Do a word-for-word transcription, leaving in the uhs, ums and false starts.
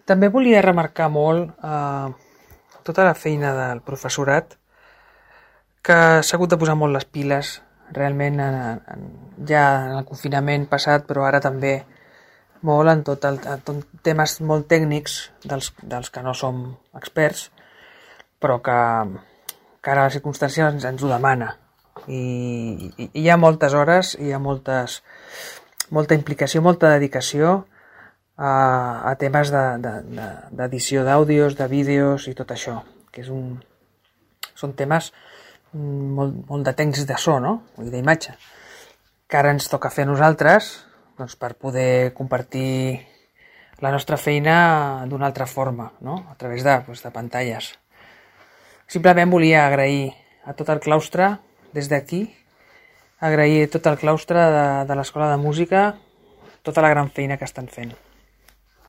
També volia remarcar molt eh, tota la feina del professorat, que s'ha hagut de posar molt les piles, realment en, en, ja en el confinament passat, però ara també molt en tot el, en tot temes molt tècnics dels, dels que no som experts, però que, que ara la circumstància ens, ens ho demana. I, i hi ha moltes hores, hi ha moltes, molta implicació, molta dedicació a, a temes d'edició de, de, d'àudios, de vídeos i tot això, que és un, són temes molt, molt de tècnics de so, no? I d'imatge, que ara ens toca fer a nosaltres, doncs, per poder compartir la nostra feina d'una altra forma, no? A través de, doncs, de pantalles. Simplement volia agrair a tot el claustre, des d'aquí, agrair a tot el claustre de, de l'Escola de Música tota la gran feina que estan fent.